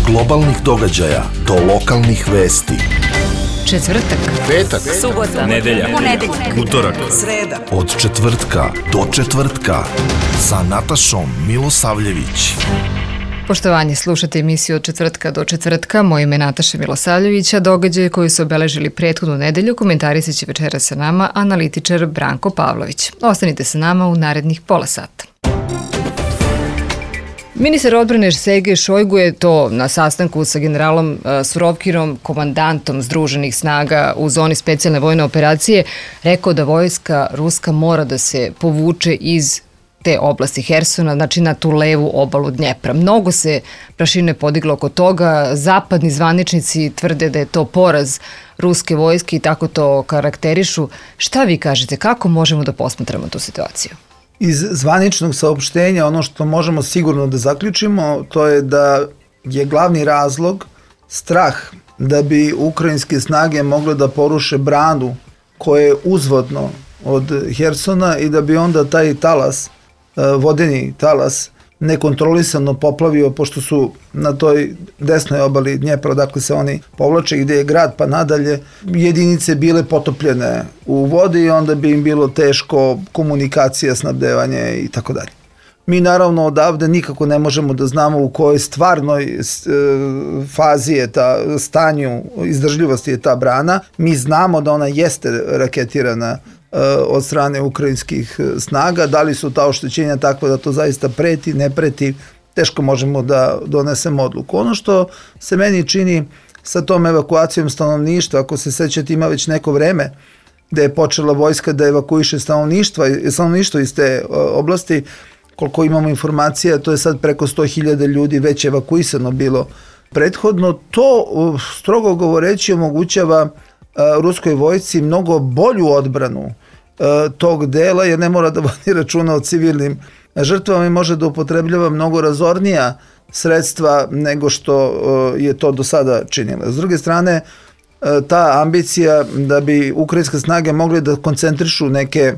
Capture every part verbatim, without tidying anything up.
globalnih događaja do lokalnih vesti. Četvrtak, petak, subota, nedelja, ponedeljak, utorak, sreda. Od četvrtka do četvrtka sa Natašom Milosavljević. Poštovanje, slušate emisiju Od četvrtka do četvrtka. Moje ime je Nataša Milosavljević, a događaje koji su obeležili prethodnu nedelju komentarisat će večera sa nama analitičar Branko Pavlović. Ostanite sa nama u narednih pola sata. Ministar odbrane Sergej Šojgu je to na sastanku sa generalom Surovkinom, komandantom Združenih snaga u zoni specijalne vojne operacije, rekao da vojska ruska mora da se povuče iz te oblasti Hersona, znači na tu levu obalu Dnjepra. Mnogo se prašine podiglo oko toga, zapadni zvaničnici tvrde da je to poraz ruske vojske i tako to karakterišu. Šta vi kažete, kako možemo da posmatramo tu situaciju? Iz zvaničnog saopštenja ono što možemo sigurno da zaključimo, to je da je glavni razlog strah da bi ukrajinske snage mogle da poruše branu koje je uzvodno od Hersona i da bi onda taj talas, vodeni talas, nekontrolisano poplavio, pošto su na toj desnoj obali Dnjepra, dakle se oni povlače, gde je grad pa nadalje, jedinice bile potopljene u vodi i onda bi im bilo teško komunikacija, snabdevanje i tako dalje. Mi naravno odavde nikako ne možemo da znamo u kojoj stvarnoj fazi je ta, stanju izdržljivosti je ta brana. Mi znamo da ona jeste raketirana od strane ukrajinskih snaga. Da li su ta oštećenja takva da to zaista preti, ne preti, teško možemo da donesemo odluku. Ono što se meni čini sa tom evakuacijom stanovništva, ako se sećate, ima već neko vreme da je počela vojska da evakuiše stanovništva, stanovništvo iz te oblasti, koliko imamo informacija, to je sad preko sto hiljada ljudi već evakuisano bilo prethodno. To, strogo govoreći, omogućava ruskoj vojsci mnogo bolju odbranu tog dela, jer ne mora da vodi računa o civilnim žrtvama i može da upotrebljava mnogo razornija sredstva nego što je to do sada činila. S druge strane, ta ambicija da bi ukrajinske snage mogle da koncentrišu neke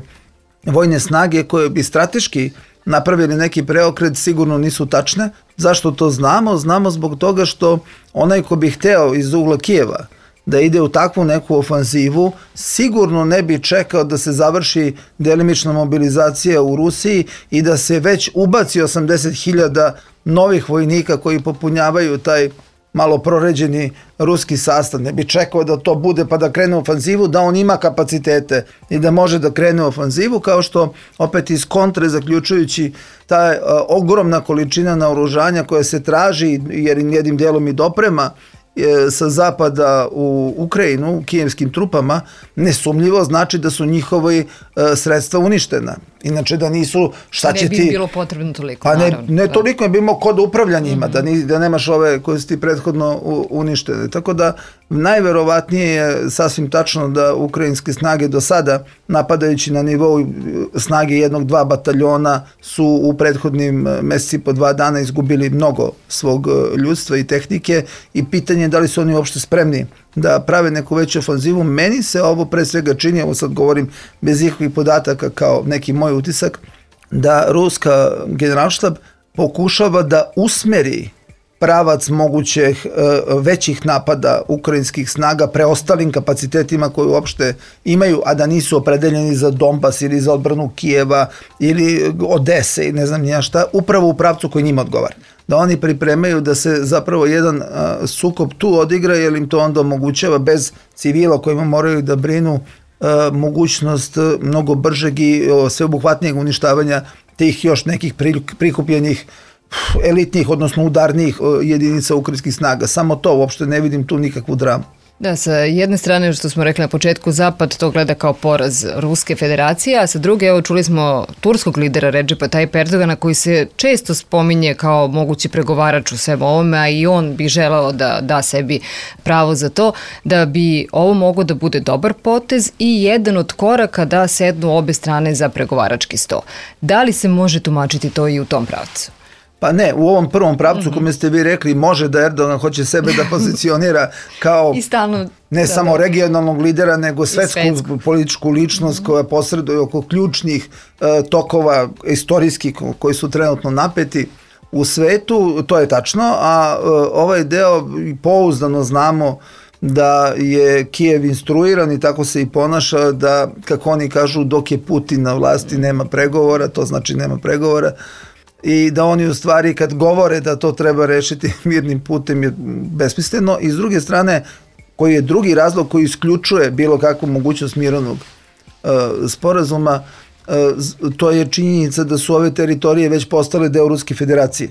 vojne snage koje bi strateški napravili neki preokret, sigurno nisu tačne. Zašto to znamo? Znamo zbog toga što onaj ko bi hteo iz ugla Kijeva da ide u takvu neku ofanzivu, sigurno ne bi čekao da se završi delimična mobilizacija u Rusiji i da se već ubaci osamdeset hiljada novih vojnika koji popunjavaju taj malo proređeni ruski sastav. Ne bi čekao da to bude pa da krene u ofanzivu, da on ima kapacitete i da može da krene u ofanzivu, kao što opet iz kontre, zaključujući ta ogromna količina naoružanja koja se traži, jer jednim delom i doprema sa zapada u Ukrajinu, kijevskim trupama, nesumljivo znači da su njihove sredstva uništena. Inače da nisu, šta će ti... Ne bi bilo potrebno toliko, pa ne, naravno. Ne toliko, je bi imao kod upravlja njima, mm-hmm. da, ni, da nemaš ove koje su ti prethodno uništene. Tako da najverovatnije je sasvim tačno da ukrajinske snage do sada, napadajući na nivou snage jednog, dva bataljona, su u prethodnim meseci po dva dana izgubili mnogo svog ljudstva i tehnike i pitanje je da li su oni uopšte spremni da prave neku veću ofanzivu. Meni se ovo pre svega čini, ovo sad govorim bez ikakvih podataka kao neki moj utisak, da ruska generalštab pokušava da usmeri pravac mogućih većih napada ukrajinskih snaga preostalim kapacitetima koje uopšte imaju, a da nisu opredeljeni za Donbas ili za odbranu Kijeva ili Odese i ne znam nija šta, upravo u pravcu koji njima odgovara. Da oni pripremaju da se zapravo jedan a, sukob tu odigra, jer im to onda omogućava bez civila kojima moraju da brinu a, mogućnost mnogo bržeg i o, sveobuhvatnijeg uništavanja tih još nekih prikupljenih elitnih, odnosno udarnijih jedinica ukrajinskih snaga. Samo to, uopšte ne vidim tu nikakvu dramu. Da, sa jedne strane, što smo rekli na početku, Zapad to gleda kao poraz Ruske federacije, a sa druge, evo, čuli smo turskog lidera Redžepa Tajip Erdogana, koji se često spominje kao mogući pregovarač u svemu ovome, a i on bi želao da da sebi pravo za to, da bi ovo moglo da bude dobar potez i jedan od koraka da sednu obe strane za pregovarački sto. Da li se može tumačiti to i u tom pravcu? Pa ne, u ovom prvom pravcu, mm-hmm. kome ste vi rekli, može da Erdogan hoće sebe da pozicionira kao stalno, ne da, samo da. regionalnog lidera, nego svetsku, svetsku. političku ličnost mm-hmm. koja posreduje oko ključnih uh, tokova istorijskih koji su trenutno napeti. u svetu, to je tačno, a ovaj deo pouzdano znamo da je Kijev instruiran i tako se i ponaša da, kako oni kažu, dok je Putin na vlasti nema pregovora, to znači nema pregovora, i da oni u stvari kad govore da to treba rešiti mirnim putem je besmisleno. I s druge strane, koji je drugi razlog koji isključuje bilo kakvu mogućnost mirovnog uh, sporazuma, uh, to je činjenica da su ove teritorije već postale deo Ruske federacije.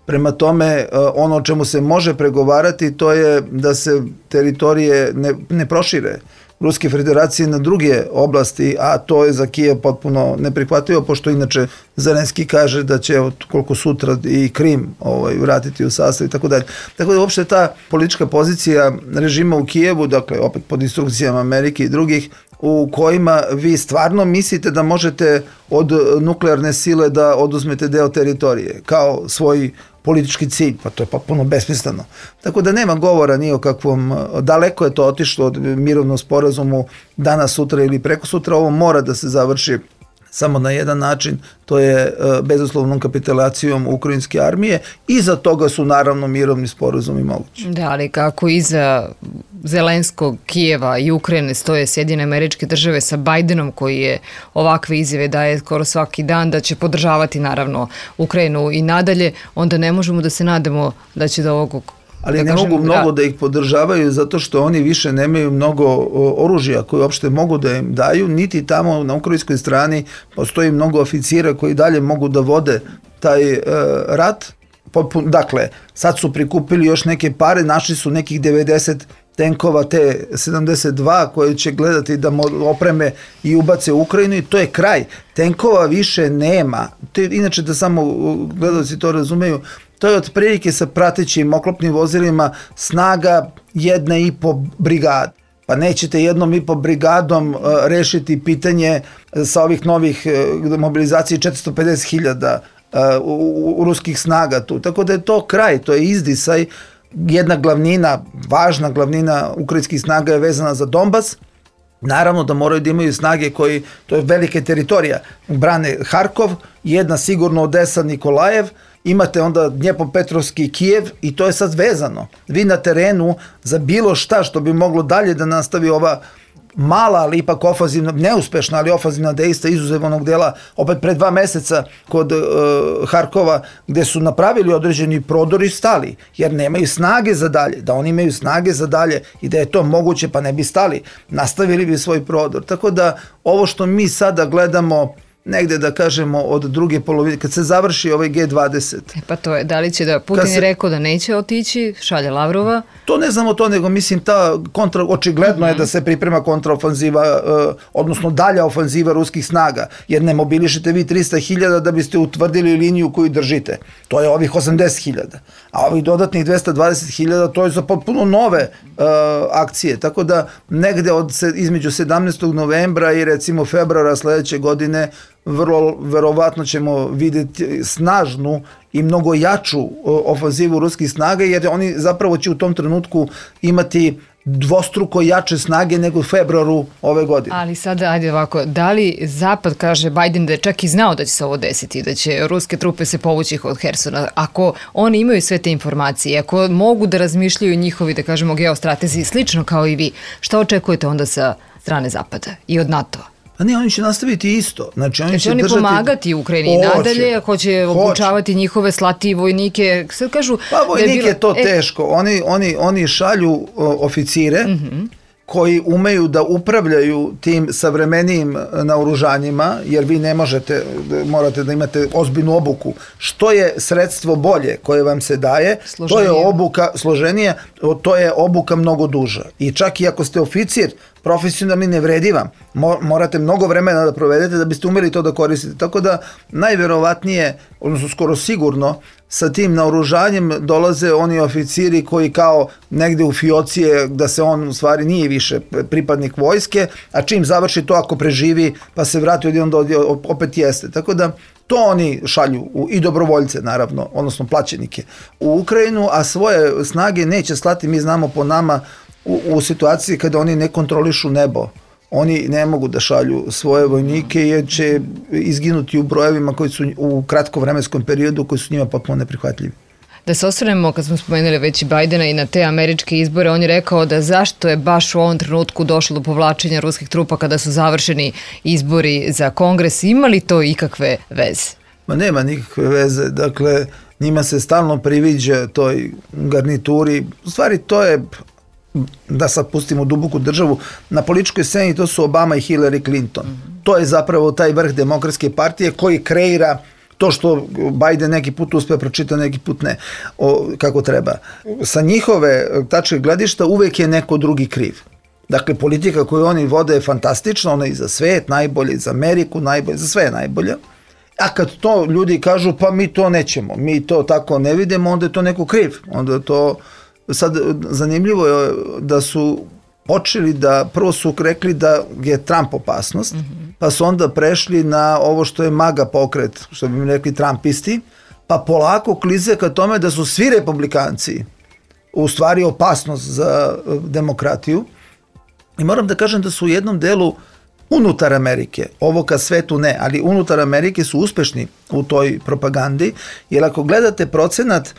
Prema tome, ono o čemu se može pregovarati, to je da se teritorije ne, ne prošire Ruske federacije na druge oblasti, a to je za Kijev potpuno neprihvatljivo, pošto inače Zelenski kaže da će od koliko sutra i Krim ovaj, vratiti u sastav i tako dalje. Tako da uopšte ta politička pozicija režima u Kijevu, dakle opet pod instrukcijama Amerike i drugih, u kojima vi stvarno mislite da možete od nuklearne sile da oduzmete deo teritorije kao svoj politički cilj, pa to je potpuno besmisleno. Tako da nema govora ni o kakvom, daleko je to otišlo od mirovnom sporazumu danas, sutra ili preko sutra, ovo mora da se završi samo na jedan način, to je bezuslovnom kapitulacijom ukrajinske armije, i za toga su naravno mirovni sporazumi mogući. Da, ali kako iza Zelenskog, Kijeva i Ukrajine stoje Sjedinjene Američke Države sa Bajdenom, koji je ovakve izjave daje skoro svaki dan da će podržavati naravno Ukrajinu i nadalje, onda ne možemo da se nadamo da će do ovog... Ali da ne kažem, mogu mnogo da ih podržavaju zato što oni više nemaju mnogo oružja koje uopšte mogu da im daju, niti tamo na ukrajinskoj strani postoji mnogo oficira koji dalje mogu da vode taj uh, rat. Potpun, dakle, sad su prikupili još neke pare, našli su nekih devedeset tenkova T sedamdeset dva koje će gledati da opreme i ubace u Ukrajinu, i to je kraj. Tenkova više nema. Te, inače, da samo gledalci to razumeju, to je otprilike sa pratećim oklopnim vozilima snaga jedna i po brigada. Pa nećete jednom i po brigadom uh, rešiti pitanje sa ovih novih uh, mobilizacije četiristo pedeset hiljada uh, u, u ruskih snaga tu. Tako da je to kraj, to je izdisaj. Jedna glavnina, važna glavnina ukrajinskih snaga je vezana za Donbas. Naravno da moraju da imaju snage koji, to je velike teritorija, brane Harkov, jedna sigurno Odesa, Nikolajev, imate onda Dnjepropetrovski Kijev, i to je sad vezano. Vi na terenu za bilo šta što bi moglo dalje da nastavi ova mala, ali ipak ofanzivna, neuspešna, ali ofanzivna dejstva izuzev onog dela opet pre dva meseca kod uh, Harkova, gde su napravili određeni prodor i stali, jer nemaju snage za dalje. Da oni imaju snage za dalje i da je to moguće, pa ne bi stali, nastavili bi svoj prodor. Tako da ovo što mi sada gledamo negde, da kažemo, od druge polovine, kad se završi ovaj G dvadeset. E pa to je, da li će da, Putin se, je rekao da neće otići, šalje Lavrova. To ne znamo to, nego mislim ta kontra, očigledno mm-hmm. je da se priprema kontraofanziva, uh, odnosno dalja ofanziva ruskih snaga, jer ne mobilišete vi trista hiljada da biste utvrdili liniju koju držite. To je ovih osamdeset hiljada. A ovih dodatnih dvesta dvadeset hiljada, to je za potpuno nove uh, akcije. Tako da negde od, između sedamnaestog novembra i recimo februara sledeće godine vrlo verovatno ćemo vidjeti snažnu i mnogo jaču ofanzivu ruskih snaga, jer oni zapravo će u tom trenutku imati dvostruko jače snage nego u februaru ove godine. Ali sada, ajde ovako, da li Zapad, kaže Biden, da je čak i znao da će se ovo desiti, da će ruske trupe se povući od Hersona, ako oni imaju sve te informacije, ako mogu da razmišljaju njihovi, da kažemo, geostratezi slično kao i vi, šta očekujete onda sa strane Zapada i od NATO-a? A ne, oni će nastaviti isto. Znači, oni će, će oni držati... pomagati Ukrajini i nadalje, hoće obučavati njihove, slati vojnike. Sad kažu... Pa vojnike je, bilo... je to e... teško. Oni, oni, oni šalju o, oficire mm-hmm. koji umeju da upravljaju tim savremenijim naoružanjima, jer vi ne možete, morate da imate ozbiljnu obuku. Što je sredstvo bolje koje vam se daje, složenije. To je obuka složenije, to je obuka mnogo duža. I čak i ako ste oficir, profesionalni, ne vredi vam. Morate mnogo vremena da provedete da biste umeli to da koristite. Tako da najverovatnije, odnosno skoro sigurno, sa tim naoružanjem dolaze oni oficiri koji kao negde u fiocije, da se on u stvari nije više pripadnik vojske, a čim završi to, ako preživi pa se vrati odjednom da opet jeste. Tako da to oni šalju u, i dobrovoljce naravno, odnosno plaćenike u Ukrajinu, a svoje snage neće slati, mi znamo po nama, u, u situaciji kada oni ne kontrolišu nebo oni ne mogu da šalju svoje vojnike jer će izginuti u brojevima koji su u kratkovremenskom periodu koji su njima potpuno neprihvatljivi. Da se osvrnemo, kad smo spomenuli već i Bajdena i na te američke izbore, on je rekao da zašto je baš u ovom trenutku došlo do povlačenja ruskih trupa kada su završeni izbori za Kongres. Ima li to ikakve veze? Ma nema nikakve veze. Dakle, njima se stalno priviđa toj garnituri. U stvari, to je, da sad pustimo duboku državu, na političkoj sceni to su Obama i Hillary Clinton. Mm-hmm. To je zapravo taj vrh demokratske partije koji kreira to što Biden neki put uspe pročita, neki put ne, o, kako treba. Sa njihove tačke gledišta uvek je neko drugi kriv. Dakle, politika koju oni vode je fantastična, ona je i za svet najbolje, i za Ameriku najbolje, za sve je najbolja. A kad to ljudi kažu, pa mi to nećemo, mi to tako ne vidimo, onda je to neko kriv. Onda je to, sad zanimljivo je da su počeli da, prvo su rekli da je Trump opasnost, mm-hmm. pa su onda prešli na ovo što je MAGA pokret, što bi mi rekli Trumpisti, pa polako klize ka tome da su svi republikanci u stvari opasnost za demokratiju. I moram da kažem da su u jednom delu unutar Amerike, ovo ka svetu ne, ali unutar Amerike su uspešni u toj propagandi, jer ako gledate procenat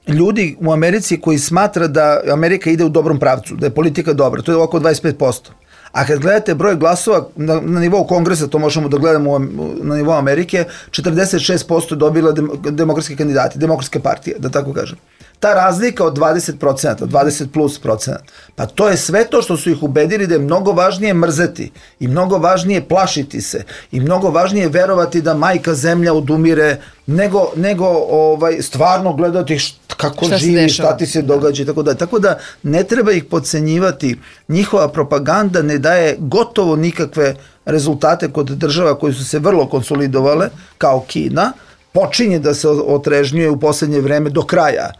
ljudi u Americi koji smatra da Amerika ide u dobrom pravcu, da je politika dobra, to je oko dvadeset pet posto. A kad gledate broj glasova na, na nivou Kongresa, to možemo da gledamo na nivou Amerike, četrdeset šest posto dobila dem, demokratski kandidati, demokratske partije, da tako kažem. Ta razlika od dvadeset procenata, dvadeset plus procenata, pa to je sve to što su ih ubedili da je mnogo važnije mrzeti i mnogo važnije plašiti se i mnogo važnije verovati da majka zemlja odumire nego, nego ovaj, stvarno gledati št, kako šta živi, šta ti se događa i tako da. Tako da ne treba ih podcenjivati. Njihova propaganda ne daje gotovo nikakve rezultate kod država koji su se vrlo konsolidovale, kao Kina. Počinje da se otrežnjuje u poslednje vreme do kraja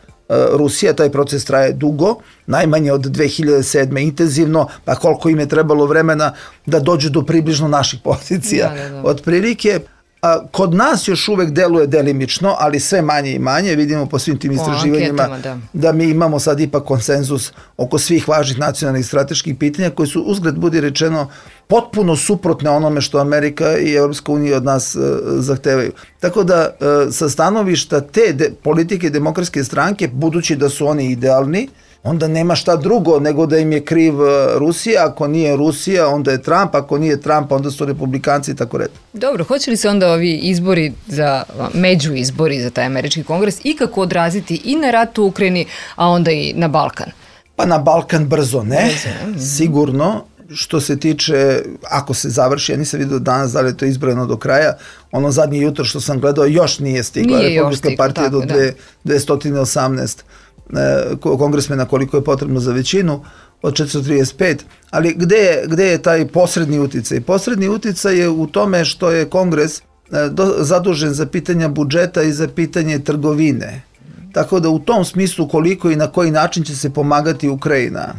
Rusija, taj proces traje dugo, najmanje od dve hiljade sedme intenzivno, pa koliko im je trebalo vremena da dođu do približno naših pozicija. Da, da, da. Od prilike, a, kod nas još uvek deluje delimično, ali sve manje i manje, vidimo po svim tim istraživanjima anketama, da. da mi imamo sad ipak konsenzus oko svih važnih nacionalnih strateških pitanja koji su, uzgred budi rečeno, potpuno suprotne onome što Amerika i Europska unija od nas e, zahtevaju. Tako da e, sa stanovišta te de, politike demokratske stranke, budući da su oni idealni, onda nema šta drugo nego da im je kriv Rusija, ako nije Rusija, onda je Trump, ako nije Trump, onda su republikanci i tako red. Dobro, hoće li se onda ovi izbori, za među izbori za taj američki kongres ikako odraziti i na rat u Ukrajini, a onda i na Balkan? Pa na Balkan brzo ne, brzo, sigurno. Što se tiče, ako se završi, ja nisam vidio danas da li je to izbrojeno do kraja, ono zadnje jutro što sam gledao još nije stigla nije Republička stigla, partija tako, do dvesta osamnaest e, kongresmena koliko je potrebno za većinu od četiristo trideset pet, ali gde je, gde je taj posredni uticaj? Posredni uticaj je u tome što je kongres e, do, zadužen za pitanja budžeta i za pitanje trgovine. Tako da u tom smislu koliko i na koji način će se pomagati Ukrajina,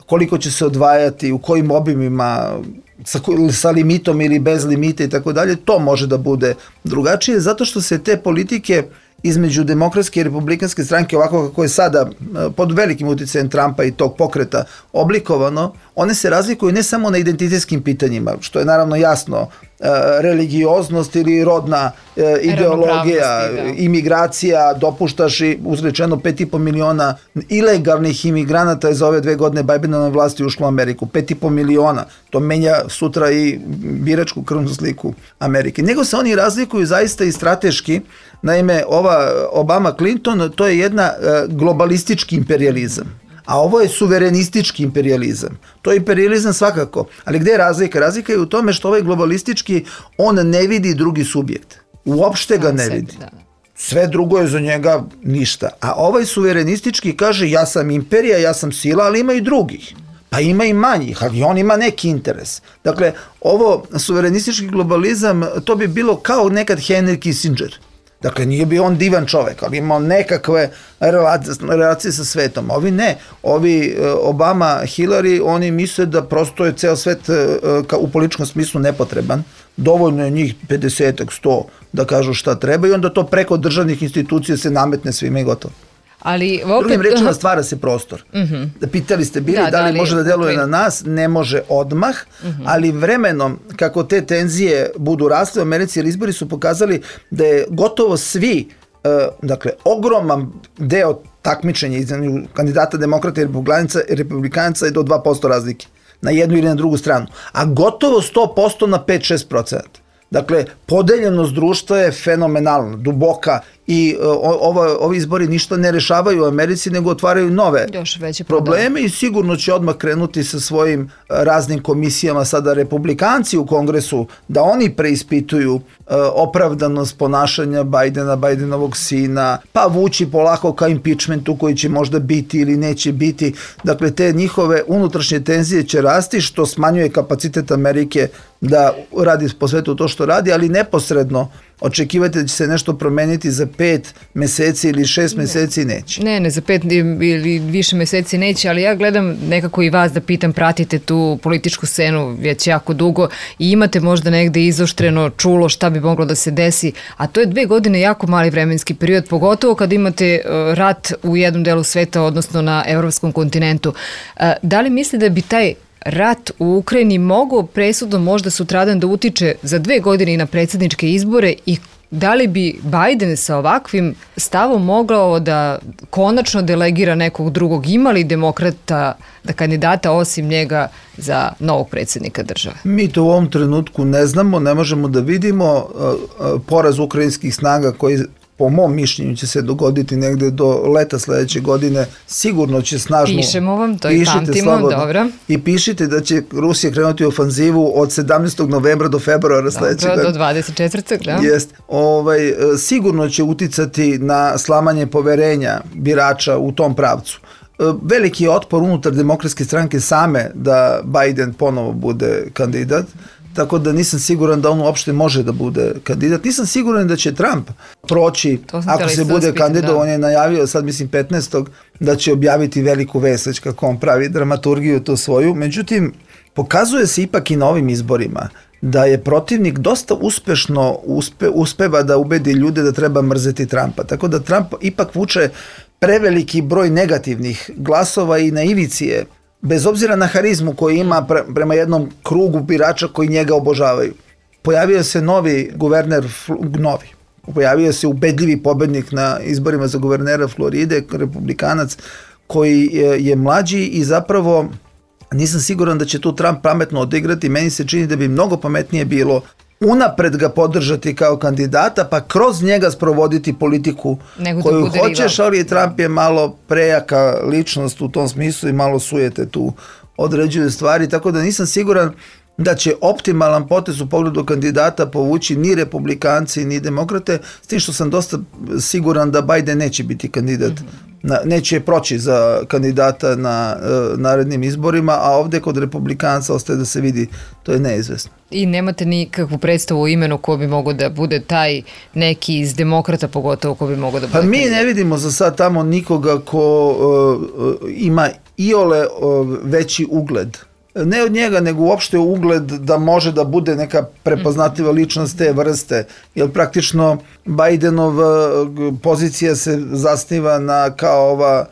koliko će se odvajati, u kojim obimima, sa, sa limitom ili bez limita i tako dalje, to može da bude drugačije, zato što se te politike između demokratske i republikanske stranke, ovako kako je sada pod velikim uticajem Trumpa i tog pokreta oblikovano, one se razlikuju ne samo na identitetskim pitanjima, što je naravno jasno, religioznost ili rodna ideologija, imigracija, dopuštaš i uzrečeno pet i po miliona ilegalnih imigranata je za ove dve godine Bidenove vlasti ušlo u Ameriku. Pet i po miliona. To menja sutra i biračku krvnu sliku Amerike. Nego se oni razlikuju zaista i strateški. Naime, ova Obama Clinton, to je jedna globalistički imperializam. A ovo je suverenistički imperializam. To je imperializam svakako. Ali gde je razlika? Razlika je u tome što ovaj globalistički, on ne vidi drugi subjekt. Uopšte ga ne vidi. Sve drugo je za njega ništa. A ovaj suverenistički kaže ja sam imperija, ja sam sila, ali ima i drugih. Pa ima i manjih, ali on ima neki interes. Dakle, ovo suverenistički globalizam, to bi bilo kao nekad Henry Kissinger. Dakle, nije bio on divan čovek, ali imao nekakve relacije sa svetom. Ovi ne. Ovi Obama, Hillary, oni misle da prosto je ceo svet u političkom smislu nepotreban. Dovoljno je njih pedeset sto da kažu šta treba i onda to preko državnih institucija se nametne svima i gotovo. Ali opet... Drugim rečima stvara se prostor. Uh-huh. Pitali ste bili da, da li, da li može da deluje okay. na nas, ne može odmah, uh-huh. ali vremenom kako te tenzije budu rasle u Americi, jer izbori su pokazali da je gotovo svi, uh, dakle ogroman deo takmičenja između kandidata demokrata i republikanaca je do dva posto razlike na jednu ili na drugu stranu, a gotovo sto posto na pet do šest procenta. Dakle, podeljenost društva je fenomenalna, duboka i uh, ovo, ovi izbori ništa ne rešavaju u Americi, nego otvaraju nove probleme i sigurno će odmah krenuti sa svojim uh, raznim komisijama sada republikanci u Kongresu, da oni preispituju uh, opravdanost ponašanja Bajdena, Bajdenovog sina, pa vući polako ka impeachmentu koji će možda biti ili neće biti. Dakle, te njihove unutrašnje tenzije će rasti, što smanjuje kapacitet Amerike da radi po svetu to što radi, ali neposredno očekivate da će se nešto promeniti za pet meseci ili šest ne. meseci neće. Ne, ne, za pet ili više meseci neće, ali ja gledam nekako i vas da pitam, pratite tu političku scenu već jako dugo i imate možda negde izoštreno čulo šta bi moglo da se desi, a to je dve godine jako mali vremenski period, pogotovo kad imate rat u jednom delu sveta, odnosno na evropskom kontinentu. Da li misli da bi taj rat u Ukrajini mogao presudno možda sutradan da utiče za dve godine i na predsjedničke izbore i da li bi Bajden sa ovakvim stavom mogao da konačno delegira nekog drugog? Ima li demokrata da kandidata osim njega za novog predsjednika države? Mi to u ovom trenutku ne znamo, ne možemo da vidimo. Poraz ukrajinskih snaga koji po mom mišljenju će se dogoditi negde do leta sledeće godine, sigurno će snažno... Pišemo vam, to i pamtimo, dobro. I pišite da će Rusija krenuti u ofanzivu od sedamnaestog novembra do februara sledeće godine. Dobro, do dvadeset četvrtog da. Jest. Ovaj, sigurno će uticati na slamanje poverenja birača u tom pravcu. Veliki je otpor unutar demokratske stranke same da Bajden ponovo bude kandidat, tako da nisam siguran da on uopšte može da bude kandidat. Nisam siguran da će Trump proći, ako se bude kandidat, on je najavio sad mislim petnaestog da će objaviti veliku vest, već kako on pravi dramaturgiju to svoju. Međutim, pokazuje se ipak i na ovim izborima da je protivnik dosta uspešno uspe, uspeva da ubedi ljude da treba mrzeti Trumpa. Tako da Trump ipak vuče preveliki broj negativnih glasova i na ivici je, bez obzira na harizmu koju ima pre, prema jednom krugu birača koji njega obožavaju. Pojavio se novi guverner, novi, pojavio se ubedljivi pobednik na izborima za guvernera Floride, republikanac, koji je, je mlađi i zapravo nisam siguran da će tu Trump pametno odigrati. Meni se čini da bi mnogo pametnije bilo unapred ga podržati kao kandidata, pa kroz njega sprovoditi politiku nego koju hoćeš, ali Trump je malo prejaka ličnost u tom smislu i malo sujete tu određuju stvari, tako da nisam siguran da će optimalan potez u pogledu kandidata povući ni republikanci ni demokrate, s tim što sam dosta siguran da Biden neće biti kandidat, mm-hmm. na, neće proći za kandidata na uh, narednim izborima, a ovdje kod republikanca ostaje da se vidi, to je neizvesno. I nemate nikakvu predstavu o imenu ko bi mogao da bude taj neki iz demokrata, pogotovo ko bi mogao da bude Pa mi kandidat. Ne vidimo za sad tamo nikoga ko uh, ima iole uh, veći ugled. Ne od njega, nego uopšte ugled da može da bude neka prepoznatljiva ličnost te vrste, jer praktično Bajdenova pozicija se zasniva na kao ova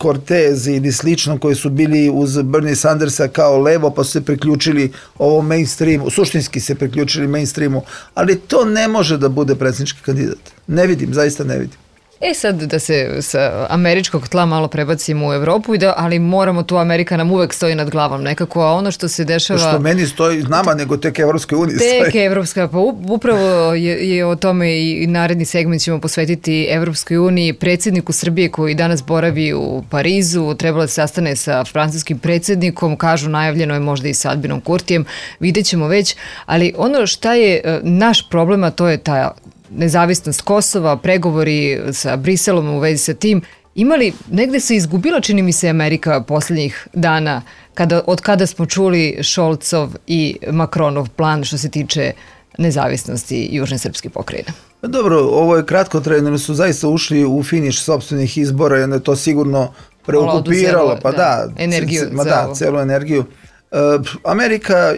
Cortez ili slično koji su bili uz Bernie Sandersa kao levo pa su se priključili ovom mainstreamu, suštinski se priključili mainstreamu, ali to ne može da bude predsjednički kandidat. Ne vidim, zaista ne vidim. E sad da se sa američkog tla malo prebacimo u Evropu, i da, ali moramo tu, Amerika nam uvek stoji nad glavom nekako, a ono što se dešava... Što meni stoji nama, nego tek Evropskoj uniji stoji. Tek Evropska, pa upravo je, je o tome i naredni segment ćemo posvetiti Evropskoj uniji. Predsjedniku Srbije koji danas boravi u Parizu, trebalo da se sastane sa francuskim predsjednikom, kažu najavljeno je možda i sa Albinom Kurtijem, vidjet ćemo već, ali ono šta je naš problem, a to je ta nezavisnost Kosova, pregovori sa Briselom u vezi sa tim. Imali, negde se izgubila, čini mi se, Amerika posljednjih dana, kada, od kada smo čuli Šolcov i Makronov plan što se tiče nezavisnosti južne srpske pokrajine. Dobro, ovo je kratkotrajno, jer su zaista ušli u finiš sopstvenih izbora i onda je to sigurno preokupiralo, pa da, da energiju, c- c- ma da, celu energiju. Uh, Amerika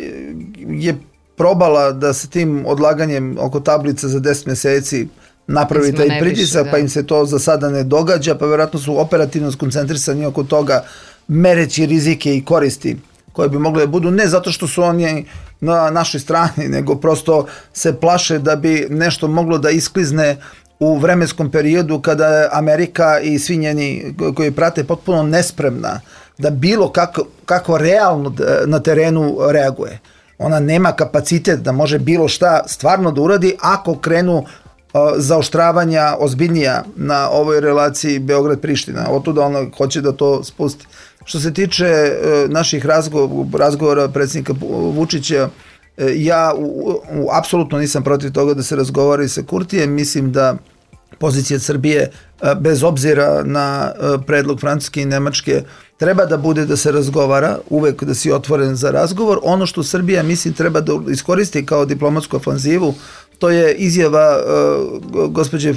je probala da sa tim odlaganjem oko tablica za deset meseci napravi taj pritisak, pa im se to za sada ne događa, pa vjerojatno su operativno skoncentrisani oko toga, mereći rizike i koristi koje bi mogle da budu, ne zato što su oni na našoj strani, nego prosto se plaše da bi nešto moglo da isklizne u vremenskom periodu kada je Amerika i svi njeni koji prate potpuno nespremna da bilo kako, kako realno na terenu reaguje. Ona nema kapacitet da može bilo šta stvarno da uradi ako krenu uh, zaoštravanja ozbiljnija na ovoj relaciji Beograd-Priština. Otuda ona hoće da to spusti. Što se tiče uh, naših razgovora, razgovora predsjednika Vučića, uh, ja u, u, apsolutno nisam protiv toga da se razgovara i sa Kurtijem. Mislim da pozicija Srbije, uh, bez obzira na uh, predlog Francuske i Nemačke, treba da bude da se razgovara, uvek da si otvoren za razgovor. Ono što Srbija, mislim, treba da iskoristi kao diplomatsku ofanzivu, to je izjava uh, gospođe uh,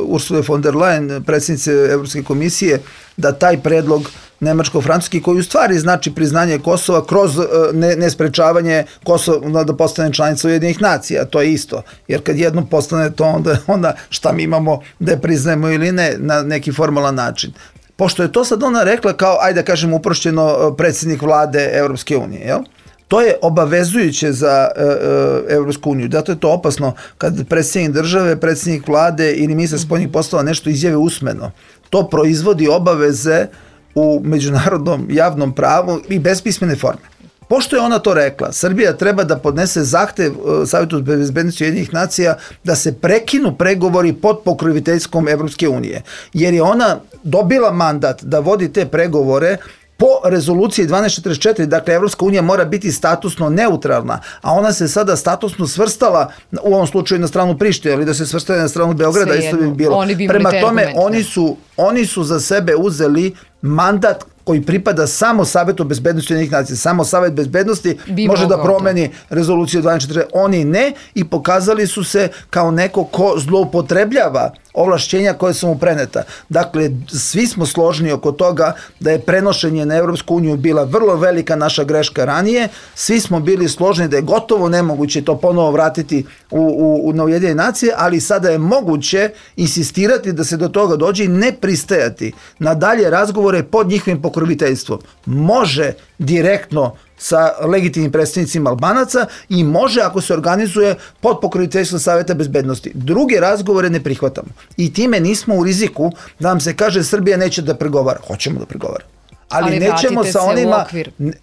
Ursule von der Leyen, predsjednice Evropske komisije, da taj predlog nemačko-francuski, koji u stvari znači priznanje Kosova kroz uh, ne, nesprečavanje Kosova da postane članica Ujedinjenih nacija, to je isto. Jer kad jednom postane to, onda, onda šta mi imamo da je priznajemo ili ne na neki formalan način. Pošto je to sad ona rekla kao, ajde da kažem uprošćeno, predsjednik vlade Evropske unije, jel? To je obavezujuće za e, e, Evropsku uniju. Zato je to opasno kad predsjednik države, predsjednik vlade ili ministar spoljnih poslova nešto izjave usmeno. To proizvodi obaveze u međunarodnom javnom pravu i bez pismene forme. Pošto je ona to rekla, Srbija treba da podnese zahtev Savjetu bezbednosti Ujedinjenih nacija da se prekinu pregovori pod pokroviteljstvom Evropske unije, jer je ona dobila mandat da vodi te pregovore po rezoluciji dvanaest četrdeset četiri, dakle Evropska unija mora biti statusno neutralna, a ona se sada statusno svrstala u ovom slučaju na stranu Prištine, ali da se svrstala na stranu Beograda, isto bi bilo. Prema tome, oni su, oni su za sebe uzeli mandat koji pripada samo Savetu bezbednosti Ujedinjenih nacija. Samo Savet bezbednosti bi može da promeni rezoluciju dvanaest četrdeset četiri. Oni ne, i pokazali su se kao neko ko zloupotrebljava ovlašćenja koje su mu preneta. Dakle, svi smo složni oko toga da je prenošenje na Evropsku uniju bila vrlo velika naša greška ranije. Svi smo bili složni da je gotovo nemoguće to ponovo vratiti u, u, u na Ujedinjene nacije, ali sada je moguće insistirati da se do toga dođe i ne pristajati na dalje razgovore pod njihovim pokroviteljstvom. Može direktno sa legitimnim predstavnicima Albanaca i može ako se organizuje pod pokroviteljstvom Saveta bezbednosti. Druge razgovore ne prihvatamo. I time nismo u riziku da nam se kaže Srbija neće da pregovara. Hoćemo da pregovara. Ali, ali nećemo sa onima,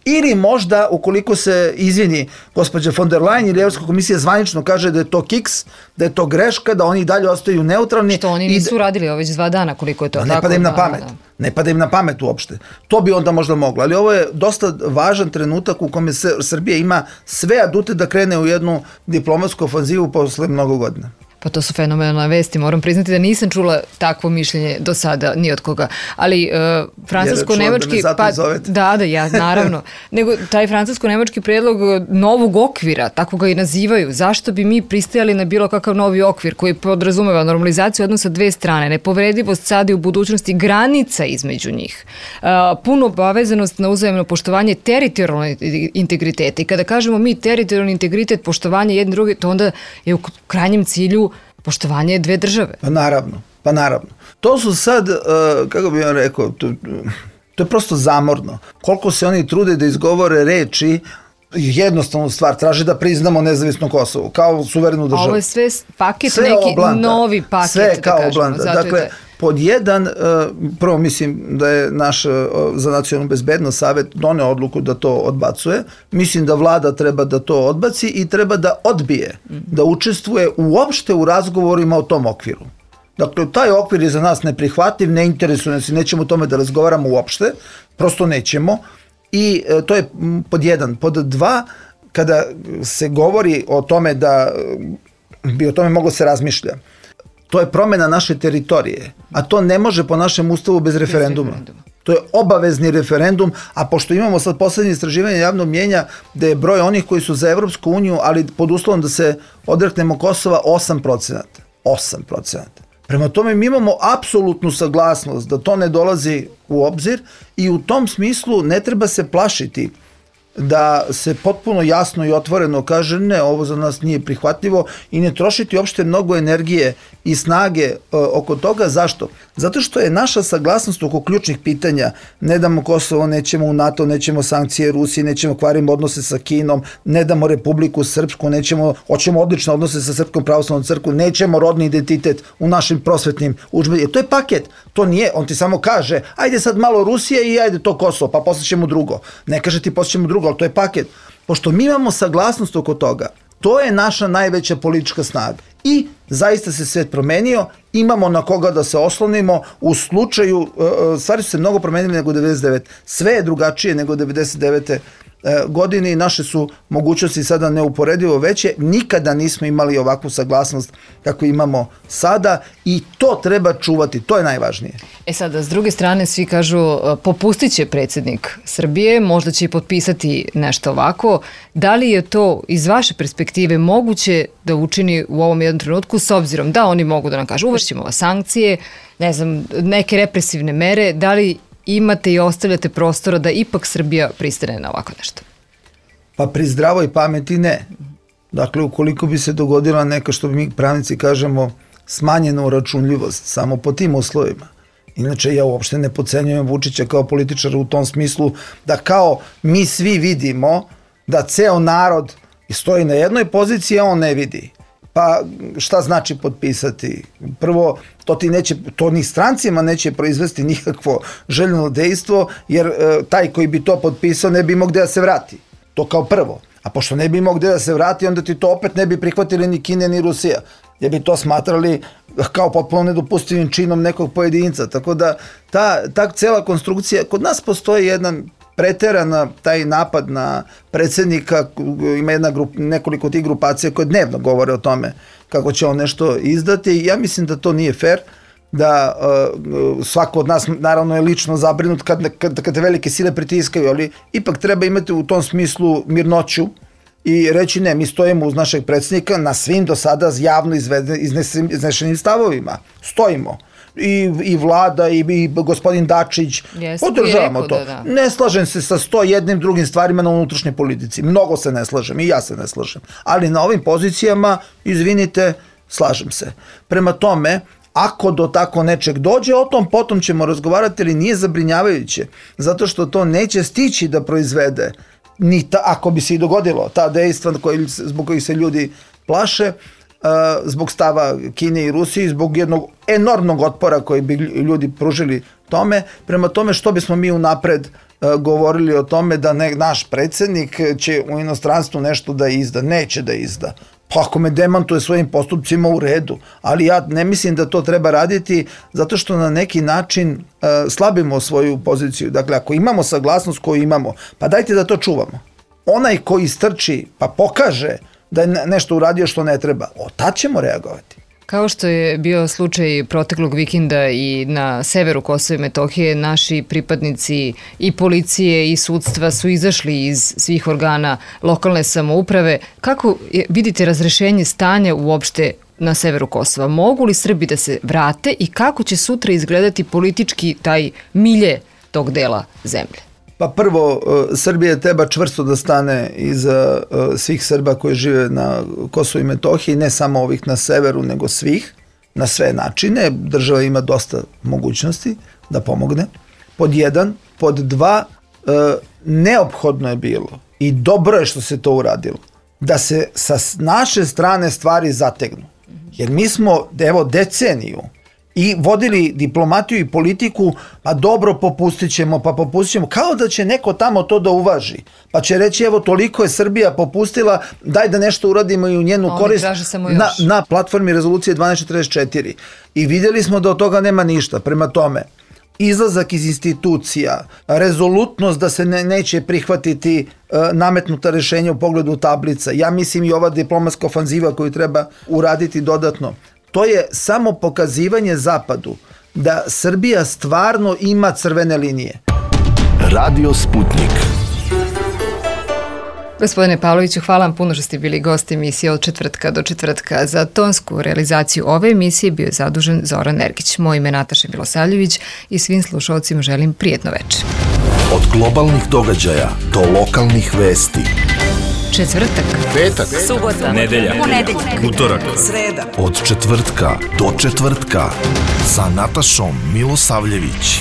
ili možda ukoliko se izvini gospođa von der Leyen ili Evropska komisija zvanično kaže da je to kiks, da je to greška, da oni dalje ostaju neutralni. Što oni nisu da radili već dva dana koliko je to. Ne pada im na pamet. Ne pada im na pamet uopšte. To bi onda možda moglo. Ali ovo je dosta važan trenutak u kome se Srbija ima sve adute da krene u jednu diplomatsku ofanzivu posle mnogo godina. Pa to su fenomenalne vesti, moram priznati da nisam čula takvo mišljenje do sada ni od koga. Ali uh, francusko-nemački... Da pa, da, da, ja, naravno. Nego taj francusko-nemački predlog novog okvira, tako ga i nazivaju. Zašto bi mi pristajali na bilo kakav novi okvir koji podrazumeva normalizaciju odnosa dve strane, nepovredivost sada i u budućnosti, granica između njih, uh, puno obavezanost na uzajemno poštovanje teritorijalnog integriteta. I kada kažemo mi teritorijalni integritet, poštovanje jedne druge, to onda je u krajnjem cilju poštovanje dve države. Pa naravno, pa naravno. To su sad, uh, kako bih vam rekao, to, to je prosto zamorno. Koliko se oni trude da izgovore reči, jednostavnu stvar, traže da priznamo nezavisno Kosovo, kao suverenu državu. Ovo je sve paket, sve neki oblanda, novi paket, sve kao da kažemo. Oblanda. Dakle, pod jedan, prvo mislim da je naš za nacionalnu bezbednost savjet doneo odluku da to odbacuje. Mislim da vlada treba da to odbaci i treba da odbije, da učestvuje uopšte u razgovorima o tom okviru. Dakle, taj okvir je za nas neprihvatljiv, ne interesuje nas i nećemo o tome da razgovaramo uopšte, prosto nećemo. I to je pod jedan. Pod dva, kada se govori o tome da bi o tome moglo se razmišlja, to je promjena naše teritorije, a to ne može po našem ustavu bez referenduma. Bez referenduma. To je obavezni referendum, a pošto imamo sad poslednje istraživanje javnog mjenja da je broj onih koji su za Evropsku uniju, ali pod uslovom da se odreknemo Kosova, osam procenata. osam procenata. Prema tome mi imamo apsolutnu saglasnost da to ne dolazi u obzir i u tom smislu ne treba se plašiti da se potpuno jasno i otvoreno kaže ne, ovo za nas nije prihvatljivo i ne trošiti uopšte mnogo energije i snage e, oko toga. Zašto? Zato što je naša saglasnost oko ključnih pitanja, ne damo Kosovo, nećemo u NATO, nećemo sankcije Rusiji, nećemo kvarimo odnose sa Kinom, ne damo Republiku Srpsku, nećemo, hoćemo odlične odnose sa Srpskom pravoslavnom crkvom, nećemo rodni identitet u našim prosvetnim udžbenicima. To je paket, to nije, on ti samo kaže, ajde sad malo Rusije i ajde to Kosovo, pa posle ćemo drugo. Ne kaže ti posle ćemo drugo, ali to je paket. Pošto mi imamo saglasnost oko toga, to je naša najveća politička snaga. I zaista se svet promenio, imamo na koga da se oslonimo u slučaju, stvari su se mnogo promenili nego devedeset devete. Sve je drugačije nego devedeset devete godine i naše su mogućnosti sada neuporedivo veće. Nikada nismo imali ovakvu saglasnost kako imamo sada i to treba čuvati, to je najvažnije. E sada, s druge strane, svi kažu popustit će predsjednik Srbije, možda će i potpisati nešto ovako. Da li je to iz vaše perspektive moguće da učini u ovom jednom trenutku, s obzirom da oni mogu da nam kažu uvešćemo vas sankcije, ne znam, neke represivne mere, da li imate i ostavljate prostora da ipak Srbija pristane na ovako nešto? Pa pri zdravoj pameti ne. Dakle, ukoliko bi se dogodila neka, što bi mi pravnici kažemo, smanjena uračunljivost, samo po tim uslovima. Inače, ja uopšte ne podcenjujem Vučića kao političara u tom smislu da kao mi svi vidimo da ceo narod stoji na jednoj poziciji, a on ne vidi. Pa šta znači potpisati? Prvo, to ti neće, to ni strancima neće proizvesti nikakvo željeno dejstvo, jer e, taj koji bi to potpisao ne bi imao gde da se vrati. To kao prvo. A pošto ne bi imao gde da se vrati, onda ti to opet ne bi prihvatili ni Kine ni Rusija. Jer bi to smatrali kao potpuno nedopustivim činom nekog pojedinca. Tako da ta, ta cela konstrukcija, kod nas postoji jedan preterana taj napad na predsjednika, ima jedna grup, nekoliko tih grupacija koje dnevno govore o tome kako će on nešto izdati. Ja mislim da to nije fair, da uh, svako od nas naravno je lično zabrinut kad, kad, kad te velike sile pritiskaju, ali ipak treba imati u tom smislu mirnoću i reći ne, mi stojimo uz našeg predsjednika na svim do sada javno iznešenim stavovima. Stojimo. I, i vlada i, i gospodin Dačić Jeste, podržavamo rekao, to. Da, da. Ne slažem se sa sto jednim drugim stvarima na unutrašnjoj politici. Mnogo se ne slažem i ja se ne slažem. Ali na ovim pozicijama, izvinite, slažem se. Prema tome, ako do tako nečeg dođe, o tom potom ćemo razgovarati, ali nije zabrinjavajuće. Zato što to neće stići da proizvede, ni ta, ako bi se i dogodilo, ta dejstva koji, zbog kojih se ljudi plaše, zbog stava Kine i Rusije, zbog jednog enormnog otpora koji bi ljudi pružili tome. Prema tome, što bismo mi unapred govorili o tome da ne, naš predsjednik će u inostranstvu nešto da izda, neće da izda. Pa ako me demantuje svojim postupcima, u redu, ali ja ne mislim da to treba raditi zato što na neki način uh, slabimo svoju poziciju. Dakle, ako imamo saglasnost koju imamo, pa dajte da to čuvamo. Onaj koji strči pa pokaže da je nešto uradio što ne treba, o, tad ćemo reagovati. Kao što je bio slučaj proteklog vikenda i na severu Kosova i Metohije, naši pripadnici i policije i sudstva su izašli iz svih organa lokalne samouprave. Kako vidite razrešenje stanja uopšte na severu Kosova? Mogu li Srbi da se vrate i kako će sutra izgledati politički taj milje tog dela zemlje? Pa prvo, Srbija treba čvrsto da stane iza svih Srba koji žive na Kosovu i Metohiji, ne samo ovih na severu, nego svih, na sve načine. Država ima dosta mogućnosti da pomogne. Pod jedan. Pod dva, neophodno je bilo i dobro je što se to uradilo, da se sa naše strane stvari zategnu. Jer mi smo, evo, deceniju i vodili diplomatiju i politiku, pa dobro, popustit ćemo, pa popustit ćemo, kao da će neko tamo to da uvaži. Pa će reći, evo, toliko je Srbija popustila, daj da nešto uradimo i u njenu Oni korist na, na platformi rezolucije dvanaest četrdeset četiri. I vidjeli smo da od toga nema ništa. Prema tome, izlazak iz institucija, rezolutnost da se ne, neće prihvatiti e, nametnuta rešenja u pogledu tablica, ja mislim i ova diplomatska ofanziva koju treba uraditi dodatno, to je samo pokazivanje Zapadu da Srbija stvarno ima crvene linije. Radio Sputnik. Gospodine Pavloviću, hvala vam puno što ste bili gost emisije od četvrtka do četvrtka. Za tonsku realizaciju ove emisije bio je zadužen Zoran Ergić. Moje ime je Nataša Milosavljević i svim slušalcima želim prijetno večer. Od globalnih događaja do lokalnih vesti. Četvrtak, Petak, subota, nedelja, ponedeljak, utorak, sreda. od četvrtka do četvrtka sa Natašom Milosavljević.